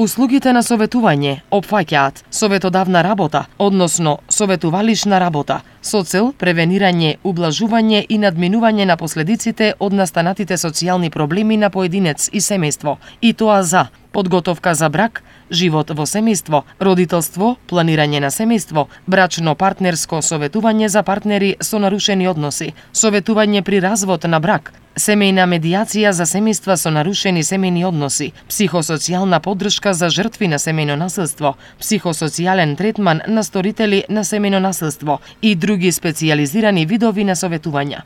Услугите на советување опфаќаат советодавна работа, односно советувалишна работа, со цел превенирање, ублажување и надминување на последиците од настанатите социјални проблеми на поединец и семејство, и тоа за подготовка за брак, живот во семејство, родителство, планирање на семејство, брачно-партнерско советување за партнери со нарушени односи, советување при развод на брак, семејна медијација за семејства со нарушени семејни односи, психосоцијална поддршка за жртви на семејно насилство, психосоцијален третман на сторители на семејно насилство и други специјализирани видови на советувања.